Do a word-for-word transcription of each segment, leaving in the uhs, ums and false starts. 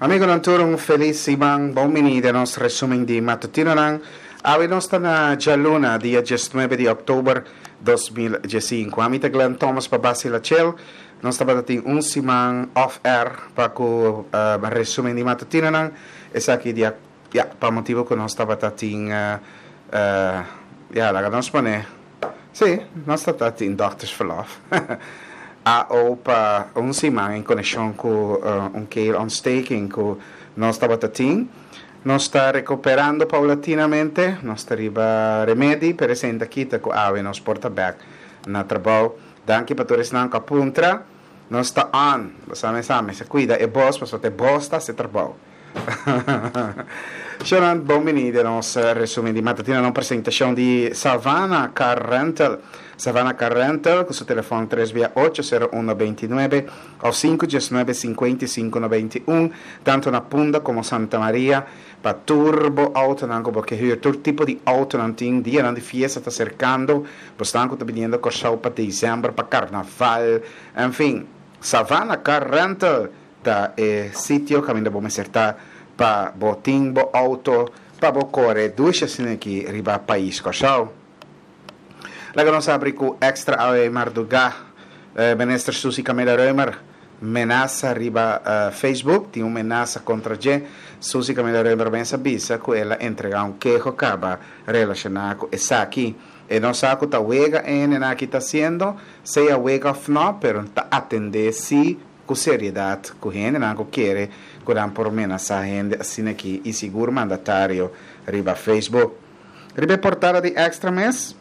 Amigonan tur, un felis siman. Bon bini den nos resumen di matutinonan. Awe nos ta na djaluna, dia diesnuebe di òktober dos mil diesinku. Ami ta Glenn Thomas pa Basi Lachel. Nos tabatin un siman off air pa ku uh, resumen di matutinonan. Esaki dia, ja, pa motibu ku nos tabatin uh, uh, ja, laga nos pone. Si, nos tabatin doktersverlof. A O pa un siman en konekshon ku uh, un keelontsteking ku nos tabatin. Nos ta rekuperando paulatinamente, nos ta riba remedi, pero ainda kita ku awe nos por ta bèk na trabou. Danki pa tur esnan ku a puntra. Nos ta on. Bo sa, sa, kuida e bos, paso ta bos ta hasi trabou. Shonan, bon bini den nos resumen di matutino, na presentashon di Savannah Car Rental. Savannah Car Rental, ku su telefòn tres ocho sero un nuebe òf sinku diesnuebe sinkuenta i sinku nobenta i un, tantu na Punda komo Santa Maria, pa tur bo outonan ku bo ke huur, tur tipo di outonan tin. Dianan di fiesta ta aserkando, bosnan ku ta biniendo Kòrsou pa desèmber, pa karnaval, en fin, Savannah Car Rental ta e sitio kaminda bo mester ta pa bo tin bo outo, pa bo kore dushi aki riba pais Kòrsou. Laga nos habri ku Extra awe mardugá, eh, Minister Suzy Camelia Römer, menasa riba uh, Facebook, tin un menasa kontra dje. Suzy Camelia Römer mes a bisa ku el a entregá un keho kaba relashoná ku esaki. E no sa ku ta wega e aki ta hasiendo, sea wega òf no, pero ta atendé si ku seriedat ku hendenan ku kere ku nan por menasá hende asina aki i sigur mandatario riba Facebook. Riba portada di Extra mes,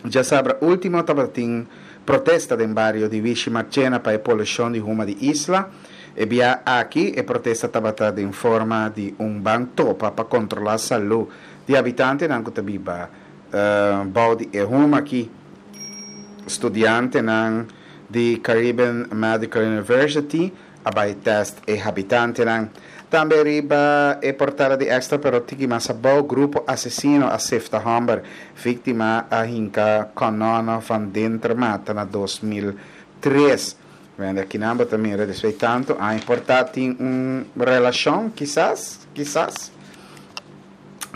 djasabra último tabatin protesta den bario di Wishi Marchena pa e polushon di huma di Isla. E bia aki e protesta tabata den forma di un ban topa pa kontrolá salú di habitantenan ku ta biba uh, bou di e huma aki. Studiantenan di Caribbean Medical University a bai test e habitantenan. Tambe riba e portada di Extra, pero tiki mas abou, grupo asesino a sefta hòmber, víktima a hinka kanòn van denter mata na dos mil tres. Wèl, aki nan tambe, despues tantu, a importá tin un relashon, kisas, kisas.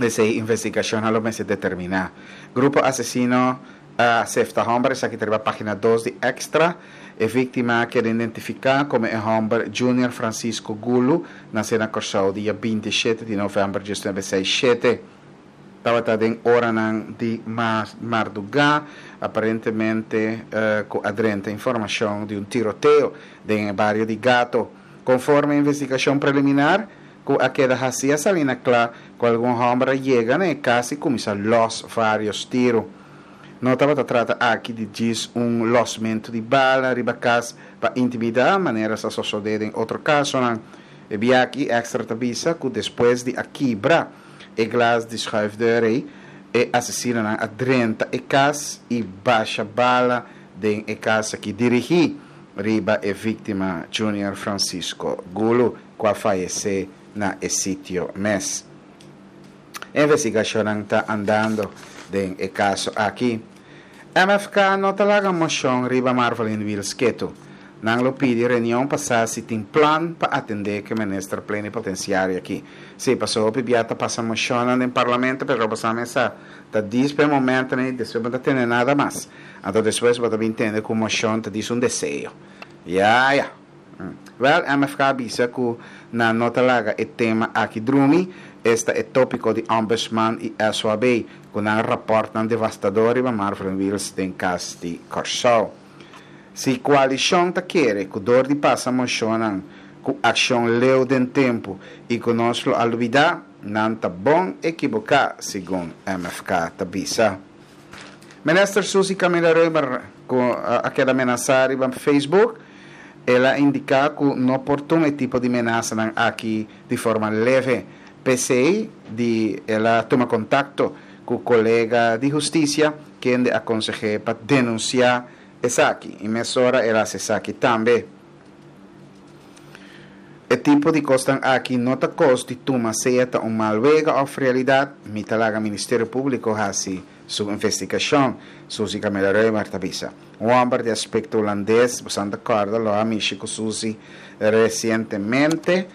Esei investigashon lo mester determiná. Grupo asesino a sefta hòmber, esaki ta página dos di Extra. E víktima a keda identifiká komo e hòmber Junior Francisco Gulu, nasé na Kòrsou, dia binti i shete di novèmber di mil noveshent sesenta i shete. Tabata den oranan di mardugá, aparentemente uh, ku a drenta informashon di un tiroteo den bario di Gato. Konforme investigashon preliminar, ku a keda hasí, a sali na kla ku algun hòmber a yega na e kas i kuminsá los vários tiru. No tabata trata aki di djis un losmentu di bala riba kas pa intimidá, manera sa sosodé den otro kasonan. E bia aki Extra ta bisa ku despues di a kibra e glas di schuifdeur, e asesinonan a drenta e kas i basha bala den e kas aki dirigí riba e víktima Junior Francisco Gulu, ku a fayesé na e sitio mes. Investigashon ta andando den e kaso aki. M F K no ta laga moshon riba Marvelyne Wiels ketu. Nan lo pidi reunion pa sa si tin plan pa atendé ku minister plenipotensiario aki. Si, pasó bia ta pasa moshon den parlamento, pero pasa mesa ta djis pa momento, ne, despues no tin nada mas. Anto despues bo ta tende ku moshon ta djis un deseo. Ja, ja. Wel, M F K a bisa ku nan no ta laga e tema aki drumi, esta e tópiko di Ombudsman i S O A B, ku nan rapòrtnan devastador riba Marvelyne Wiels den Kas di Kòrsou. Si koalishon ta kere ku dor di pasa moshonnan ku akshon leu den tempu i ku nos lo a lubidá, nan ta bon ekiboká, segun M F K ta bisa. Minister Suzy Camelia Römer a keda menasá riba Facebook, el a indiká ku no por tuma tipo di menasanan aki di forma leve. P'esei di el a tuma kontakto ku kolega di hustisia, kende a konseh'é pa denunsiá esaki. I mesora el a hasi esaki tambe. E tipo di kosnan aki no ta kos di tuma sea ta un mal wega òf realidat, mi ta laga Ministerio Públiko hasi su investigashon, Suzy Camelia Römer ta bisa. Un hòmber di aspekto hulandes, bo ta kòrda, lo a mishi ku Suzy resientemente.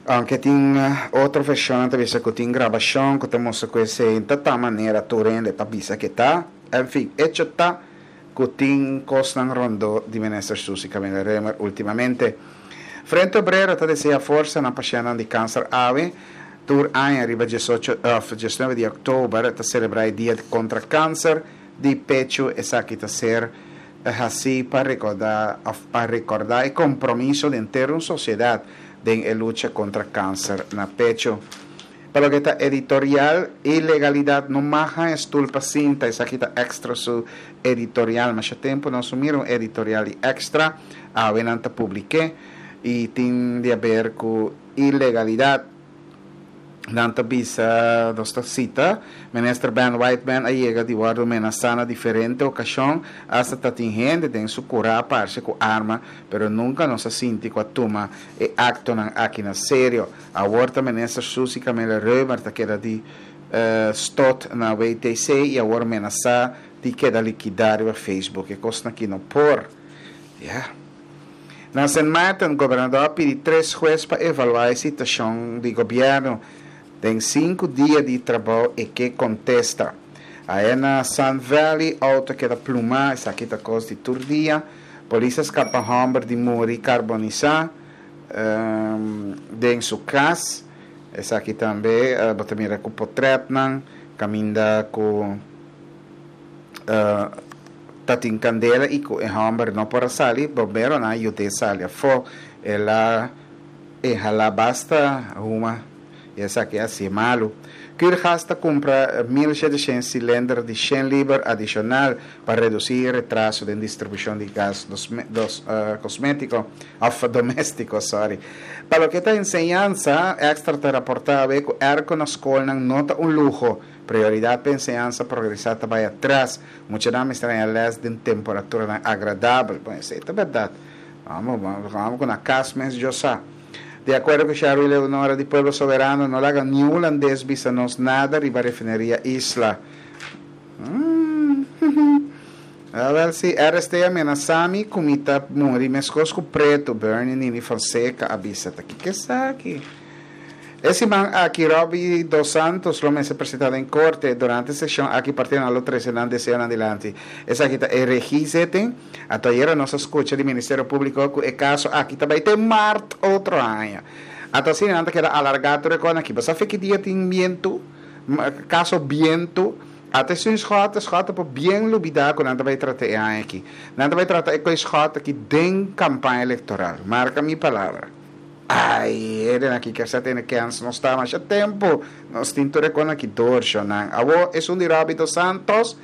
Aunke tin otro vershon ta bisa ku tin grabashon ku ta mustra ku esei ta ta manera tur hende ta bisa ku ta. En fin, echo ta ku tin kosnan rondó di minister Suzy Camelia Römer últimamente. Frente Obrero ta deseá forsa na pashèntnan di kanser. Awe, tur aña riba diesocho òf diesnuebe di òktober ta selebrá e dia kontra kanser di pechu. Esaki ta ser hasí pa rekordá òf pa rekordá e kompromiso di henter un sosiedat den e lucha kontra kanser na pechu. Pa loke ta editorial, ilegalidat no mag haña stul pa sinta. Esaki ta Extra su editorial. Masha tempu nos no mira un editorial di Extra, awe nan ta publik'é i tin di aber ku ilegalidat. Nan ta bisa, nos ta sita, Minister Ben Whiteman a yega di wòrdu menasá na diferente okashon, asta ta tin hende den su kurá a parse ku arma, pero nunka nos a sinti ku a tuma e aktonan aki na serio. Awor ta Minister Suzy Camelia Römer ta keda di stot na W T C i awor menasá di keda likidá riba Facebook. E kosnan aki no por. Ya. Na Sint Maarten, gobernador a pidi tres hues pa evaluá e situashon di gobièrnu. Den sinku dia di trabou e ke kontesta. Aya na Sun Valley, outo keda plumá, esaki ta kos di tur dia. Polis a skapa hòmber di muri karbonisá um, den su kas. Esaki tambe, uh, bo ta mira ku portretnan, kaminda ku uh, tatin kandela i ku e hòmber no por a sali, bomberonan a yud'é sali afó. El a inhalá basta huma i esaki a hasié malu. Curagas ta kumpra mil shete shen silinder di shen liber adishonal pa redusí retraso den distribushon di gas dos, dos, uh, kosmétiko, òf doméstiko, sorry. Pa loke ta enseñansa, Extra ta raportá ku airco na skol no ta un luho. Prioridat pa enseñansa progresá ta bai atras. Muchanan mester les den temperatura agradabel. Bon, esei ta berdat. Ban, ban, ban ku na kas mes yo sa. Di akuerdo ku Sharley Leonora di Pueblo Soberano, no laga ni hulandes bisa nos nada riba refineria Isla. Mm. Awèl si R S T a menasá mi ku mi ta muri meskos ku Pretu, Bernie Nini Fonseca a bisa ta kiko esaki. E siman aki Robbie Dos Santos lo mester presentá den korte. Durante e seshon aki partidonan lo trese nan deseonan dilanti. Esaki ta e regiezitting. Anto ayera nos a skucha di Ministerio Públiko ku e kaso aki tambe te mart otro aña. Anto asina nan ta keda alargá tur e kos aki. Basta fe ki dia tin bientu, kaso bientu. Ate sun Schotte, Schotte por bien lubidá ku nan ta bai trata e aña aki. Nan ta bai trata e kos Schotte aki den kampaña elektoral. Marka mi palabra. Ai, ele aki ke sa tene kens nos ta masha tempu. Nos tin tur e kos aki dor nan. Awo esun di Robbie Dos Santos,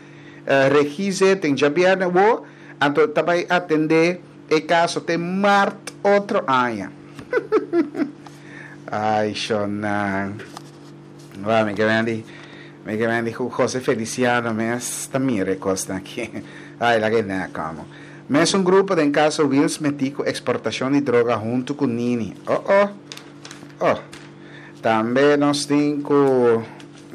uh, regiezitting djabièrnè wo, anto ta bai atendé e kaso te mart otro aña. Ai, shonan. Wa, mi ke di, mi ke di José Feliciano mes ta mira e kos aki. Ai, lag'é na komo. Mes un grupo den kaso Wiels metí ku eksportashon di droga huntu ku Nini. Oh, oh. Oh. Tambe nos tin ku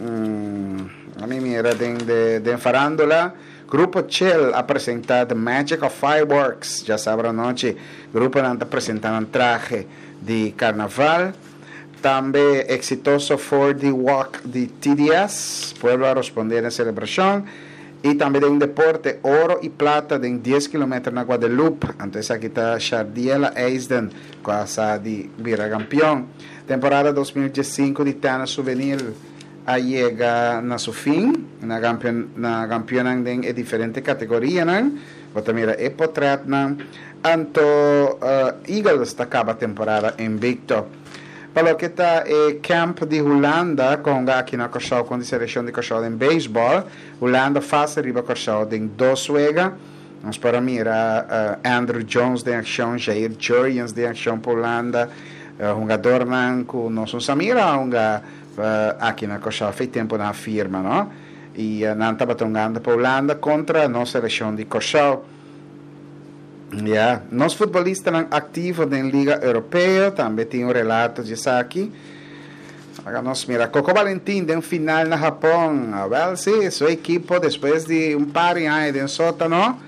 mm, ami mira den de den farándula. Grupo Chill a presentá The Magic of Fireworks djasabra anochi. Grupo nan ta presentando un trahe di karnaval. Tambe eksitoso four D Walk di T D S. Pueblo a respondé na selebrashon. I tambe den deporte, oro i plata den dies kilometer na Guadeloupe. Anto aki ta Shardiela Eisden, ku a sa di bira kampeon. Temporada dos mil diesinku di tenis hubenil a yega na su fin, na kampeon, na kampeon den diferente kategorianan. Bo ta mira e portretnan. Anto uh, Eagles ta kaba temporada invikto. Pa loke ta e camp di Hulanda, ku aki na Kòrsou, ku e selekshon di Kòrsou den beisbòl, Hulanda fásil riba Kòrsou den dos wega. Nos por a mira uh, Andrew Jones den akshon, Jair Jurrjens den akshon pa Hulanda, uh, hungadónan ku nos no mira hunga uh, aki na Kòrsou, fe tempu nan a firma, no? I uh, nan tabata hungando pa Hulanda kontra nos selekshon di Kòrsou. Yeah. Nos futbolistanan aktivo den Liga Europeo, tambe tin un relato di esaki. Awor nos mira Coco Valentin den final na Japon. Wel, si, su ekipo despues di un par di aña den sótano,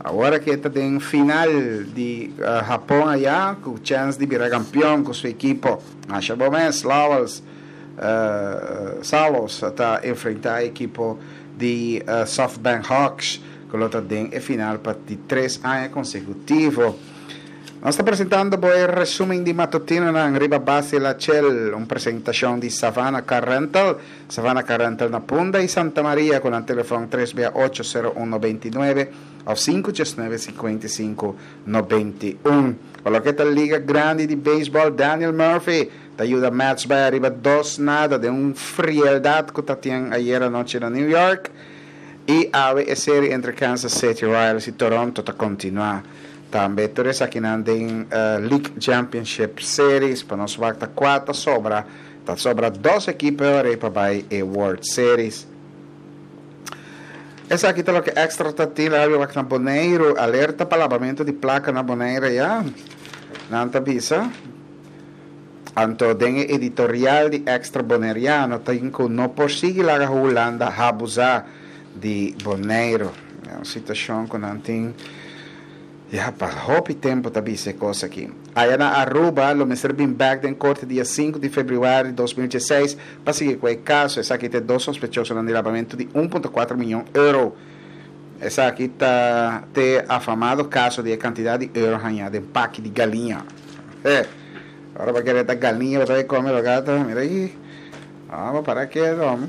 Awor ku ta den final di uh, Hapon aya, ku chèns di bira kampeon ku su ekipo. Masha bon mes, Lowells, uh, Salos ta enfrentá e ekipo di uh, SoftBank Hawks, ku ta den final pa di tres aña konsekutivo. Nos ta presentando e resúmen di matutino na riba base La Chel, un presentashon di Savannah Car Rental, Savannah Car Rental na Punda i Santa Maria ku telefòn tres ocho zero uno dos nuebe òf sinku nuebe cinco cinco nove un. Pa loke ta Liga Grandi di Beisbòl, Daniel Murphy ta yuda Mets bai ariba dos nada den un frieldat ku tabatin ayera nochi na New York. I awe e serie entre Kansas City Royals i Toronto ta kontinuá. Tambe tur aki den uh, League Championship Series, pa nos ta kuater sobra, ta sobra dos ekipo pa bai e World Series. Esaki ta loke Extra ta tin na Boneiru, alerta pa labamentu di plaka na Boneiru ya. Nan ta bisa. Anto den editorial di Extra Boneriano tin ku no por sigui laga Hulanda abusá di Boneiru. E un situashon ku nan tin ya pa hopi tempu ta bisa kos aki. Aya na Aruba, lo mester bin back den korte dia sinku di febrüari di dos mil diesseis pa sigui ku e kaso. Esaki tin dos sospechoso di labamentu di un punto kuater mion euro. Esaki ta e afamado kaso di kantidat di euro hañá den paki di galiña. Eh, awor pa kere ta galiña, bo kome gato, mira ei. Ah, para ke, hòmber?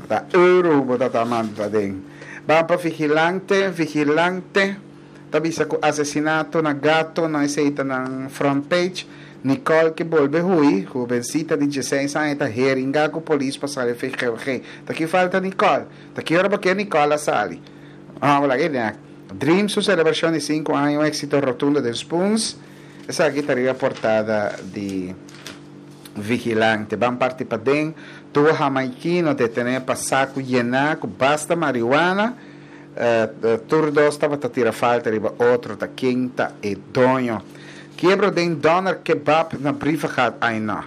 Ta euro bo ta manda den. Ban pa Vigilante, Vigilante. Ta bisa ku asesinato na Gato, na esei ta na front page. Nicole ke bolbe hui, hobensita di diesseis aña ta heringá ku polis pa sali V G G. Ta ki falta Nicole. Ta ki ora ku Nicole a sali. Ah, wala ku Dream su selebrashon di sinku aña, un éksito rotundo di Spoons. Esaki ta riba portada di Vigilante. Ban parti paden. Duo hamaikino detené pa saku yená ku basta marihuana. Uh, tur dos tabata tira falta riba otro ta ken ta e doño. Kiebro den Doner Kebab na Brievengat aina.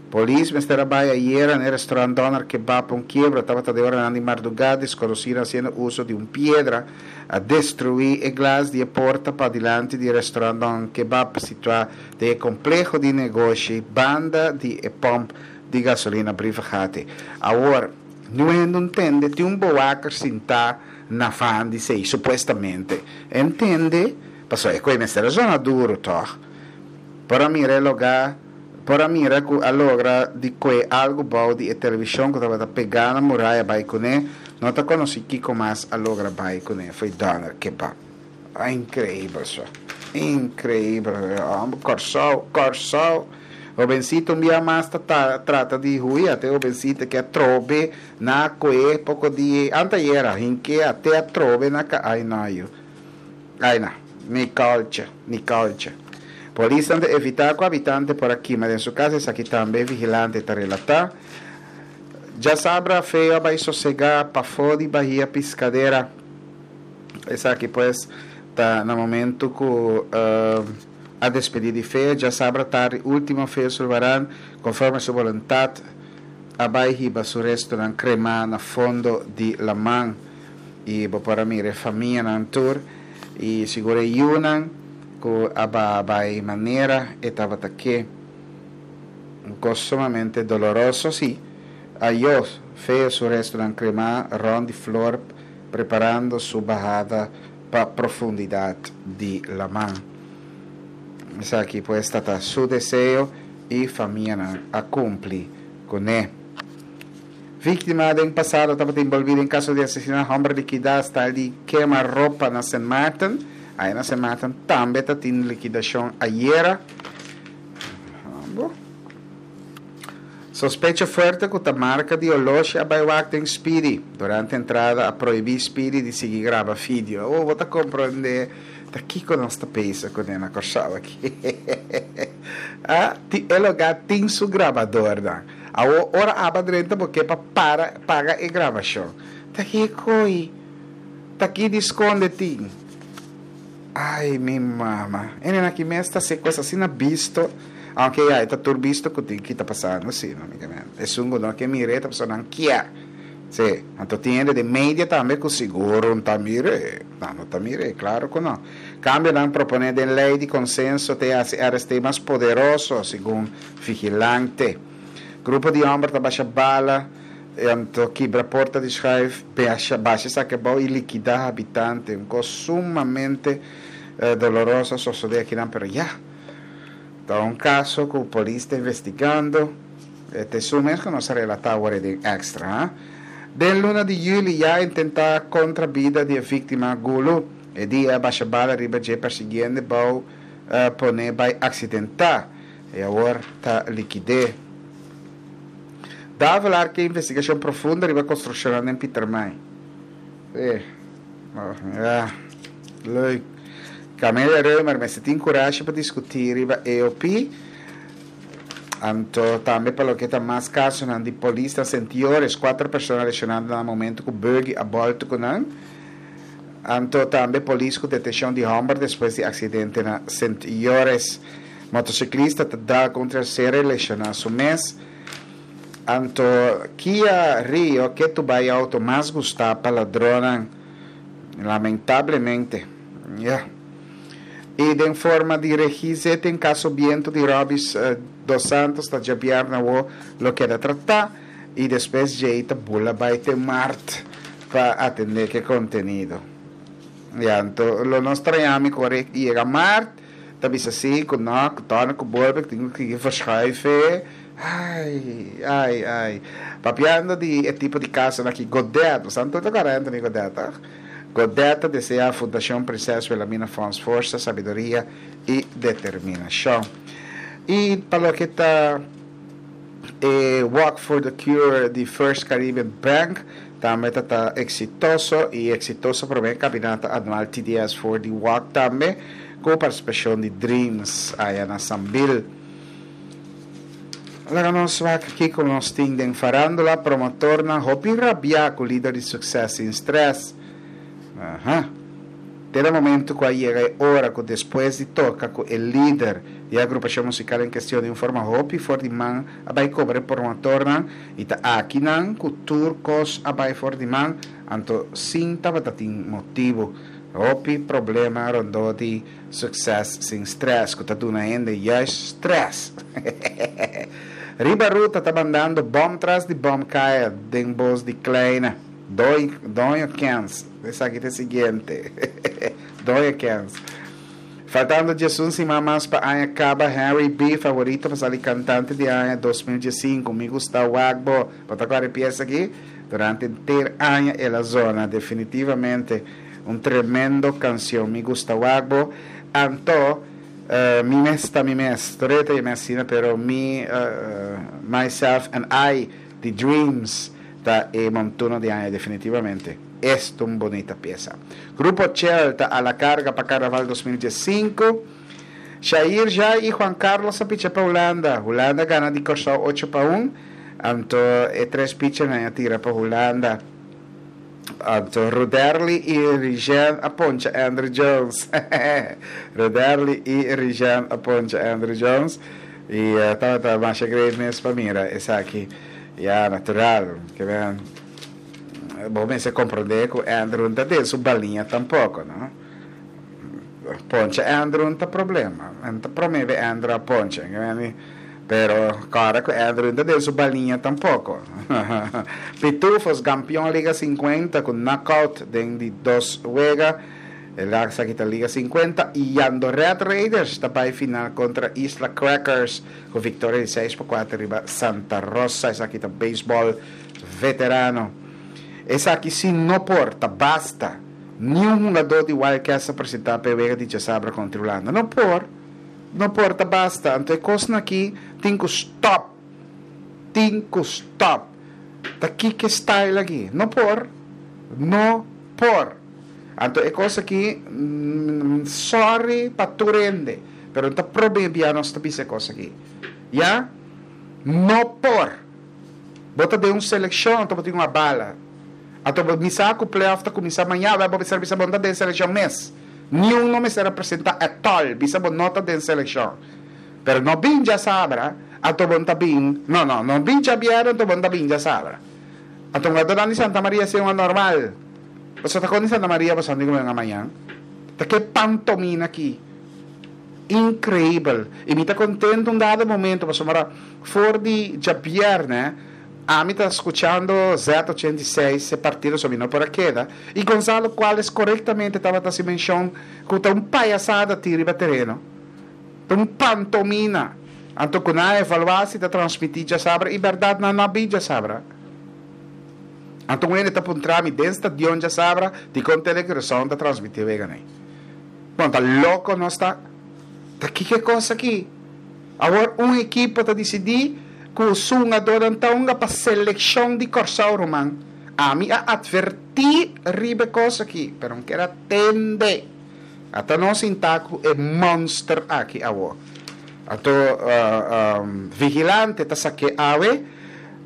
Polis mester a bai ayera na restaurant Doner Kebab un kiebro tabata den ora di mardugá. Deskonosí hasiendo uso di un piedra a destruí e glas di porta pa dilanti di restaurant Doner Kebab, situá den kompleho di negoshi banda di pòmp di gasolina Brievengat. Awor, no entende, tin un bewaker sintá na fan di sei, supuestamente. Entende? Pasó e kos mester zona duru, toch? Por mira lugá, por mira ku a logra di kue algu bou di televishon ku tabata pegá na muraya bai kuné, no ta konosí kiko mas a logra bai kuné, for di Doner Kebab. Ah, inkreibel so. Inkreibel. Kòrsou, Kòrsou. Hobensito un dia mas ta trata di hui, te hobensito ku atrobe na kue poko di antayera, hinke te atrobe na ka ai na yo. Ai na, ni culture, ni culture. Polis ta evitá ku habitante por a kima den su kas, aki tambe Vigilante ta relatá. Djasabra Feo a bai sosegá pafó di Bahia Piscadera. Esaki pues ta na momento ku uh, a despedí di Feo. Djasabra tardi último Feo Sulvaran, konforme su boluntat, a bai hiba su restonan kremá na fondo di laman. I bo por mira famianan tur i sigur e yunan ku a bai manera e tabata ke. Un kos sumamente doloroso, sí. Ayó Feo su restonan kremá rònt di flor, preparando su bahada pa profundidat di laman. Esaki pues ta su deseo i famia a kumpli kuné. Víktima den pasado tabata envolví den kaso di asesinato, hòmber likidá hasta di kema ropa na Saint Martin. Ei na Saint Martin tambe tabatin likidashon ayera. Sospecho fuerte ku ta marka di oloshi a bai wak den Speedy. Durante entrada a prohibí Speedy di sigui graba video. Oh, bo ta komprondé ta kiko nos ta pensa kuné na Kòrsou aki. Ah, ti e lugá tin su grabador. Ora abo drenta pasobra pa para paga e grabashon. Ta ki koi. Ta ki di skonde tin. Ai, mi mama. E aki mes ta se kos asina bisto. Aunke ya, ta tur bisto ku tin ki ta pasando, sí, no, e sungo no ke mire, ta pasando kier. Si, anto tin hende den media tambe ku sigur no ta mir'é. No, no ta mir'é, klaro ku no. Kambionan proponé den lei di konsenso ta hasi R S T mas poderoso, segun Vigilante. Grupo di hòmber ta basha bala, anto kibra porta di schuif, basha, basha esaki abou i likidá habitante. Un kos sumamente eh, doloroso sosodé akinan, pero ya. Ta un kaso ku polis ta investigando. Este mes ku nos a relatá awor den Extra. Eh? Den luna di yüli ya a intentá kontra bida di víktima Gulu. E dia basha bala riba dje persiguiendo bou uh, pone bai aksidentá. I awor ta likid'é. Davelaar ke investigashon profundo riba konstrukshon na Pietermaai. Eh, oh, ja, leuk. Camelia Römer, mester tin kurashi pa diskutí riba E O P. Anto tambe pa loke ta mas kaso di polis na Sentiores, kuater persona leshoná na momento ku buggy a bòltu ku nan. Anto tambe polis ku detenshon di hòmber despues di aksidente na Sentiores. Motosiklista ta dal kontra ser leshoná su mes. Anto Kia Rio ku bai outo mas gustá pa ladronnan, lamentablemente. Yeah. I den forma di registro tin kaso bientu di Robis uh, dos Santos ta djabièrnè o lo keda tratá i despues djei ta bula bai te mart pa atendé ku kontenido. Ja, anto lo nos trañami kore yega mart, ta bisa si ku no, ku torna ku bolbe, tin ku verschuiven. Ai, ai, ai. Papiando di e tipo di kaso aki, Godet, santo ta Anthony Godet, toch? Godet ta deseá Fundashon Prinses Wilhelmina Fonds forsa, sabiduria i determinashon. I pa loke ta e Walk for the Cure di First Caribbean Bank, tambe ta eksitoso i eksitoso promé kaminata anual T D S for the Walk tambe, ku partisipashon di Dreams aya na Sambil. Laga nos wak aki ku nos tin den farándula: promotornan hopi rabia ku lider di Success Sin Stress. Aha. Te momento ku a yega e ora ku despues di toka ku e lider di agrupashon musikal en kuestion di un forma hopi for di man a bai kobra promotornan i ta akinan ku tur kos a bai for di man, anto sin tabata tin motibu. Hopi problema rondó di Success Sin Stress ku ta duna hende juist stress. Riba ruta ta mandando bom tras di bom kaya den bos di Kleine. Doi, Doño Kens. Esaki ta e siguiente. Doño Kens. Faltando diesun siman mas pa aña kaba, Harry B. favorito pa sali kantante di aña dos mil diesinku. Mi gusta wak bo. Bota kla piesa aki. Durante henter aña el a zona definitivamente un tremendo kansion. Mi gusta wak bo. Anto, uh, mi mes ta mi mes. Toreta mi asina, pero mi, uh, myself and I, The Dreams, ta e montuno di aña definitivamente. Esta un bunita piesa. Grupo Chel ta a la karga pa Karnaval dos mil diesinku. Shair Jai i Juan Carlos a picha pa Hulanda. Hulanda a gana di Kòrsou ocho pa un. Anto e tres pitcher a tira pa Hulanda. Anto Ruderly i Rigen a poncha Andrew Jones. Ruderly i Rigen a poncha Andrew Jones. I uh, tabata mas great mes pa mira esaki. Ja, natural. Ke men bo mester komprondé ku Andrew no ta den su baliña tampoko, no? Poncha Andrew no ta problema. No ta promé Andrew a poncha. Pero, klaro ku Andrew no ta den su baliña tampoko. Pitufos, kampeon Liga sinkuenta ku knockout den di dos wega. Esaki ta Liga sinkuenta i Jandoret Raiders ta bai final kontra Isla Crackers ku viktoria di seis pa kuater riba Santa Rosa. Esaki ta beisbòl veterano. Esaki si no por, ta basta. Ningun hungadó di Wildcats a presentá pa wega di djasabra kontra Hulanda. No por. No por, ta basta. Anto, kos aki tin ku stop. Tin ku stop. Ta ki style aki? No por. No por. Anto, e kos aki, mm, sorry pa tur hende, pero no ta problema nos ta bisa kos aki. Ja? No por. Bo ta den un selekshon, anto bo tin un bala. Anto mi sa ku playoff ta kuminsá mañan, bai bisa bisa bo ta den selekshon mes. Ningun no mester presentá at all, bisa bo no ta den selekshon. Pero no bin djasabra, anto bo ta bin, no no, no bin djabièrnè, anto bo ta bin djasabra. Anto hungadónan di Santa Maria si hunga normal. Boso ta kon di Santa Maria boso andi hunga mañan? Ta ke pantomina aki? Inkreibel. I mi ta kontentu un dado momento pasobra for di djabièrnè ami ta skuchando Z ochenta i seis e partido so mi no por a keda i Gonzalo Cuales korektamente tabata hasi menshon ku ta un payasada tin riba tereno. Ta un pantomina. Anto ku nan a evaluá si ta transmití djasabra i bèrdat nan no a bin djasabra. Anto un hende ta puntra mi den stadion djasabra dikon Tele Curaçao ta transmití wega nei. Bon, ta loko nos ta? Ta kiko e kos aki? Awor un ekipo ta disidí ku su hungadónan ta hunga pa selekshon di Kòrsou ruman. Ami a atvertí riba e kos aki, pero N kier a tende. Ata nos sintá ku e mònster aki awor. Anto Vigilante ta sak'é awe,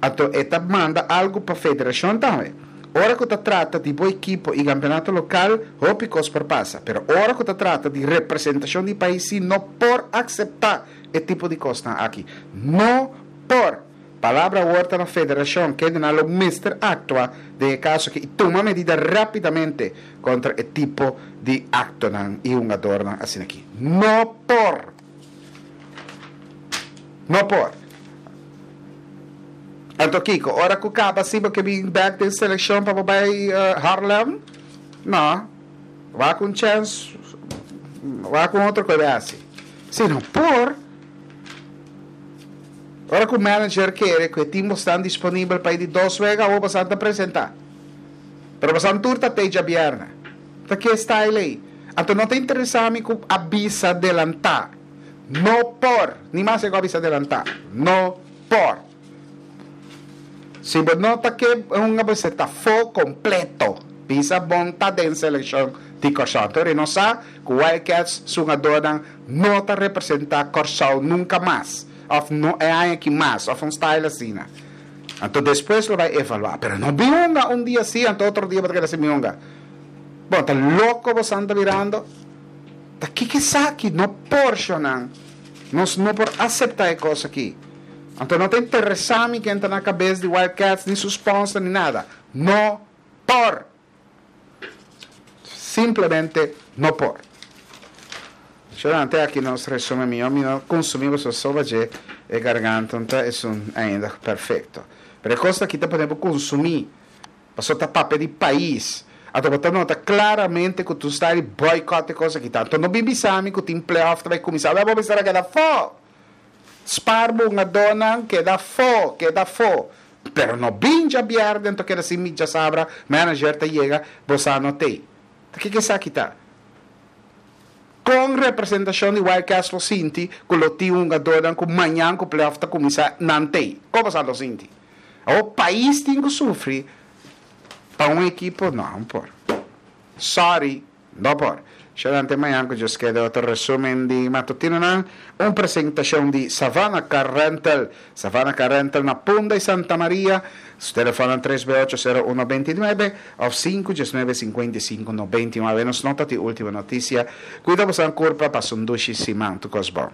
anto e ta manda algu pa federashon tambe. Ora ku ta trata di bo ekipo i kampeonato lokal, hopi kos por pasa. Pero ora ku ta trata di representashon di pais si no por akseptá e tipo di kosnan aki. No por! Palabra awor ta na federashon, kendenan lo mester aktua den e kaso aki i tuma medida rápidamente kontra e tipo di aktonan i hungadornan asin'aki. No por! No por. Anto kiko? Ora ku kaba si bo ke bin bek den selekshon pa bo bai Harlem? No. Wak un chèns, wak un otro ku e bai hasi. Si no por. Ora ku manager kere ku e tin bosnan disponibel pa e di dos wega awor bosan ta presentá. Pero bosan tur ta tei djabièrnè. Ta ke style ei? Anto no ta interesá mi ku a bisa delantá. No por! Ni mas e ku a bisa delantá. No por! Si bo no ta ke hunga bo esei ta fo kompleto. Bisa bon ta den selekshon di Kòrsou. Anto ri nos sa ku Wildcats su hungadónan no ta representá Kòrsou nunka mas òf no e aña aki mas òf un style asina. Anto despues lo bai evaluá. Pero no bin hunga un dia si anto otro dia bo ta keda sin bin hunga. Bon ta loko bo san ta birando. Ta kiko esaki? No por, shonnan. Nos no por aseptá e kos aki. Anto no ta interesá mi ken ta na kabes di Wild Cats, ni su sponsor, ni nada. No por! Simplemente no por. Shonnan, te aki nos resumen. Mihó mi no konsumí boso soba dje e garganta no ta esun ainda perfekto. Pero e kos aki ta pone bo konsumí. Paso ta papia di pais. Anto bo ta nota claramente cu tu sta di boycott e cos aki. Tanto no bin bisa mi cu tin playoff ta bay cuminsa. Awor bo mester a keda afo. Spaar bo hungadornan, keda afo, keda afo. Pero no bin djabierde anto keda sin mi djasabra manager ta yega, bo sa no tey. Ta kico esaki ta? Con representacion di Wild Cats lo sinti cu lo tin hungadornan cu mañan cu playoff ta cuminsa nan tey? Con bo sa lo sinti? Awor pais tin cu sufri pa un ekipo? No, no por. Sorry, no por. Shalante mañan cu Dios keda otro resumen di matutinonan, un presentacion di Savannah Car Rental. Savannah Car Rental na Punda y Santa Maria. Su telefonan tres be ocho sero uno beinti nuebe of sinku diesnuebe sinkuenta i sinku nobenta i nuebe. Nos nota di ultimo noticia. Cuida boso nan curpa, pasa un dushi siman. Tur cos bon.